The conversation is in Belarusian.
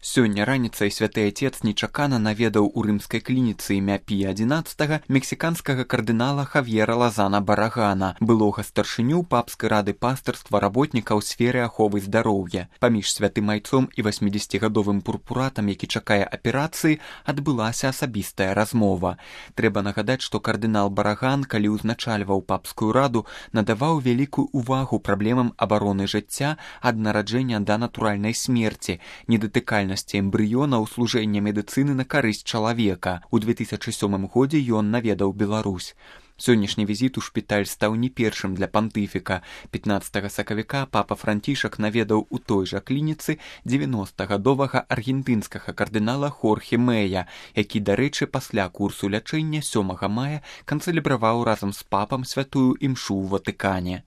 Сёння раніцай святы Отец нечакана наведаў у рымскай клініцы імя Пія XI мексіканскага кардынала Хавьера Лазана Барагана, былога старшыню папскай рады пастырства работніка ў сферы аховы здароўя. Паміж святым айцом і 80гадовым пурпуратам, які чакае аперацыі, адбылася асабістая размова. Трэба нагадаць, што кардынал Бараган, калі ўзначальваў папскую раду, надаваў вялікую ўвагу праблемам абароны жыцця ад нараджэння да натуральнай смерці, недатыкальнасці эмбрыёна ў служэння медыцыны на карысць чалавека. У 2007 годзе ён наведаў Беларусь. Сённяшні візіт у шпіталь стаў не першым для пантыфіка. 15 сакавіка папа Францішак наведаў у той жа клініцы 90гадовага аргентынскага кардынала Хорхе Мэя, які, дарэчы, пасля курсу лячэння 7 мая канцэлябраваў разам з папам святую імшу ў Ватыкане.